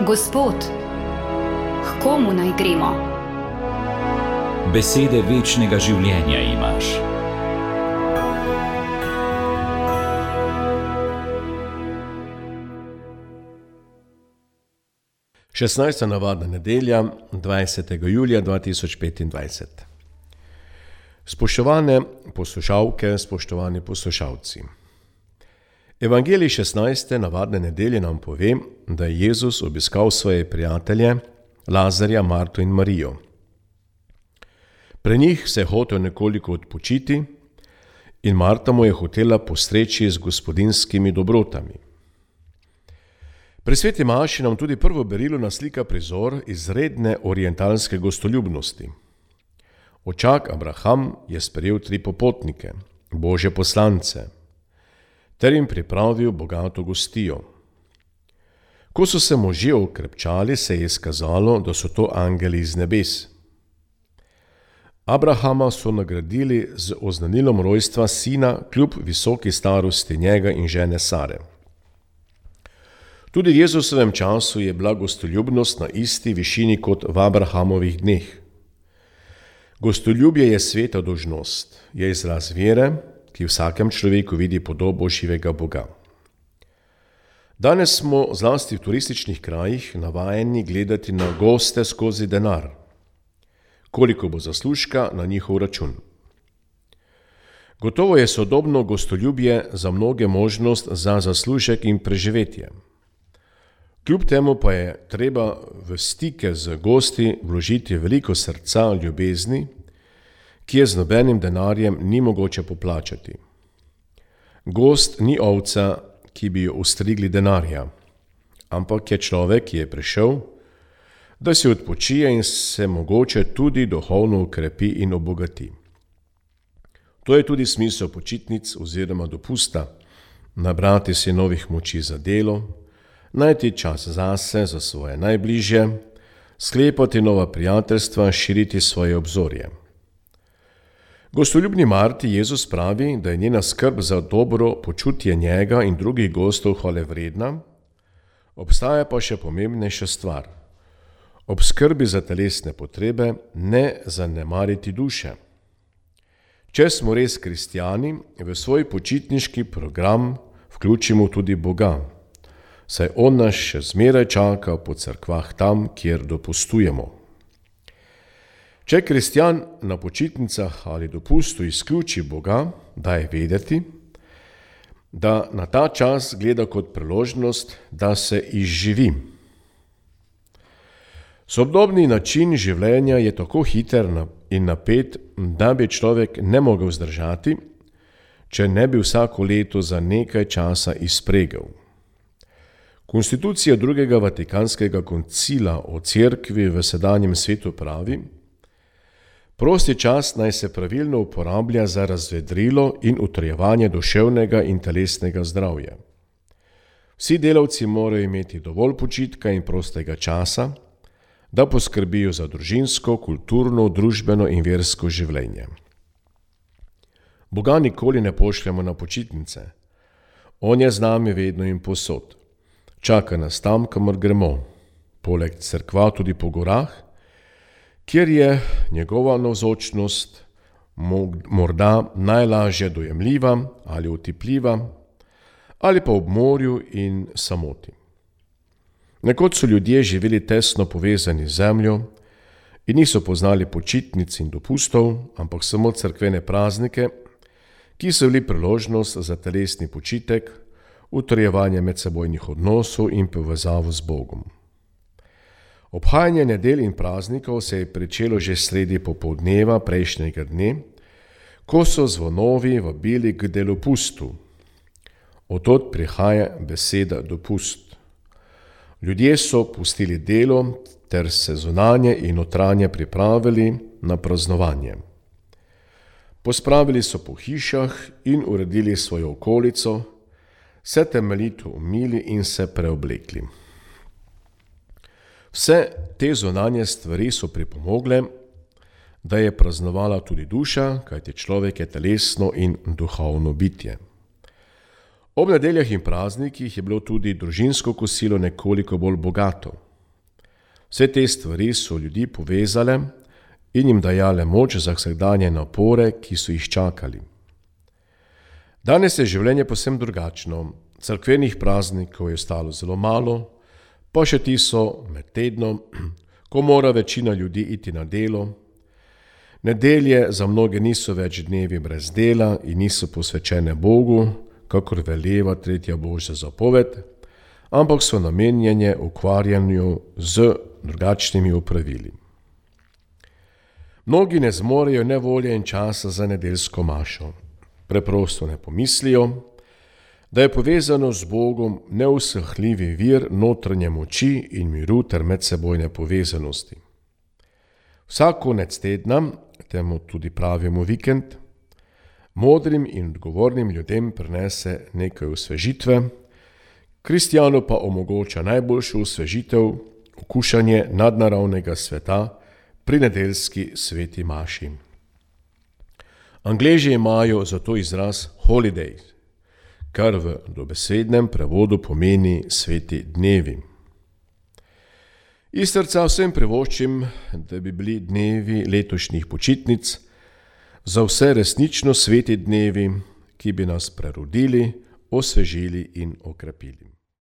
Gospod, k komu naj gremo? Besede večnega življenja imaš. Šestnajsta navadna nedelja, 20. julija 2025. Spoštovane poslušalke, spoštovani poslušalci. Evangelij 16. navadne nedelje nam pove, da je Jezus obiskal svoje prijatelje Lazarja, Marto in Marijo. Pri njih se je hotel nekoliko odpočiti in Marta mu je hotela postreči z gospodinjskimi dobrotami. Pri sveti maši nam tudi prvo berilo naslika prizor izredne orientalske gostoljubnosti. Očak Abraham je sprejel 3 popotnike, Božje poslance, ter jim pripravil bogato gostijo. Ko so se možje okrepčali, se je izkazalo, da so to angeli iz nebes. Abrahama so nagradili z oznanilom rojstva sina kljub visoki starosti njega in žene Sare. Tudi v Jezusovem času je bila gostoljubnost na isti višini kot v Abrahamovih dneh. Gostoljubje je sveta dolžnost, je izraz vere, ki v vsakem človeku vidi podobo živega Boga. Danes smo zlasti v turističnih krajih navajeni gledati na goste skozi denar, koliko bo zaslužka na njihov račun. Gotovo je sodobno gostoljubje za mnoge možnost za zaslužek in preživetje. Kljub temu pa je treba v stike z gosti vložiti veliko srca, ljubezni, ki je z nobenim denarjem ni mogoče poplačati. Gost ni ovca, ki bi jo ostrigli denarja, ampak je človek, ki je prišel, da si odpočije in se mogoče tudi duhovno ukrepi in obogati. To je tudi smisel počitnic oziroma dopusta, nabrati si novih moči za delo, najti čas zase, za svoje najbližje, sklepati nova prijateljstva, širiti svoje obzorje. Gostoljubni Marti Jezus pravi, da je njena skrb za dobro počutje njega in drugih gostov hvalevredna, obstaja pa še pomembnejša stvar. Ob skrbi za telesne potrebe ne zanemariti duše. Če smo res kristjani, v svoj počitniški program vključimo tudi Boga, saj On nas še zmeraj čaka po cerkvah tam, kjer dopustujemo. Če kristjan na počitnicah ali dopustu izključi Boga, daj vedeti, da na ta čas gleda kot priložnost, da se izživi. Sodobni način življenja je tako hiter in napet, da bi človek ne mogel zdržati, če ne bi vsako leto za nekaj časa izpregel. Konstitucija drugega Vatikanskega koncila o cerkvi v sedanjem svetu pravi: prosti čas naj se pravilno uporablja za razvedrilo in utrjevanje duševnega in telesnega zdravja. Vsi delavci morajo imeti dovolj počitka in prostega časa, da poskrbijo za družinsko, kulturno, družbeno in versko življenje. Boga nikoli ne pošljemo na počitnice. On je z nami vedno in povsod. Čaka nas tam, kamor gremo, poleg cerkva tudi po gorah, kjer je njegova navzočnost morda najlažje dojemljiva ali otipljiva, ali pa ob morju in samoti. Nekoč so ljudje živeli tesno povezani z zemljo in niso poznali počitnic in dopustov, ampak samo cerkvene praznike, ki so bili priložnost za telesni počitek, utrjevanje medsebojnih odnosov in povezavo z Bogom. Obhajanje nedelj in praznikov se je pričelo že sredi popoldneva prejšnjega dne, ko so zvonovi vabili k delopustu. Od prihaja beseda dopust. Ljudje so pustili delo ter se zunanje in notranje pripravili na praznovanje. Pospravili so po hišah in uredili svojo okolico, se temeljito umili in se preoblekli. Vse te zunanje stvari so pripomogle, da je praznovala tudi duša, kajti človek je telesno in duhovno bitje. Ob nedeljah in praznikih je bilo tudi družinsko kosilo nekoliko bolj bogato. Vse te stvari so ljudi povezale in jim dajale moč za vsakdanje napore, ki so jih čakali. Danes je življenje povsem drugačno. Cerkvenih praznikov je ostalo zelo malo, pa še ti so med tednom, ko mora večina ljudi iti na delo. Nedelje za mnoge niso več dnevi brez dela in niso posvečene Bogu, kakor veleva 3. Božja zapoved, ampak so namenjene ukvarjanju z drugačnimi opravili. Mnogi ne zmorejo ne volje in časa za nedeljsko mašo. Preprosto ne pomislijo, da je povezano z Bogom neusahljivi vir notranje moči in miru ter medsebojne povezanosti. Vsak konec tedna, temu tudi pravimo vikend, modrim in odgovornim ljudem prinese nekaj osvežitve, kristjanu pa omogoča najboljšo osvežitev, okušanje nadnaravnega sveta pri nedeljski sveti maši. Angleži imajo za to izraz holiday, kar v dobesednem prevodu pomeni sveti dnevi. Iz srca vsem privoščim, da bi bili dnevi letošnjih počitnic za vse resnično sveti dnevi, ki bi nas prerodili, osvežili in okrepili.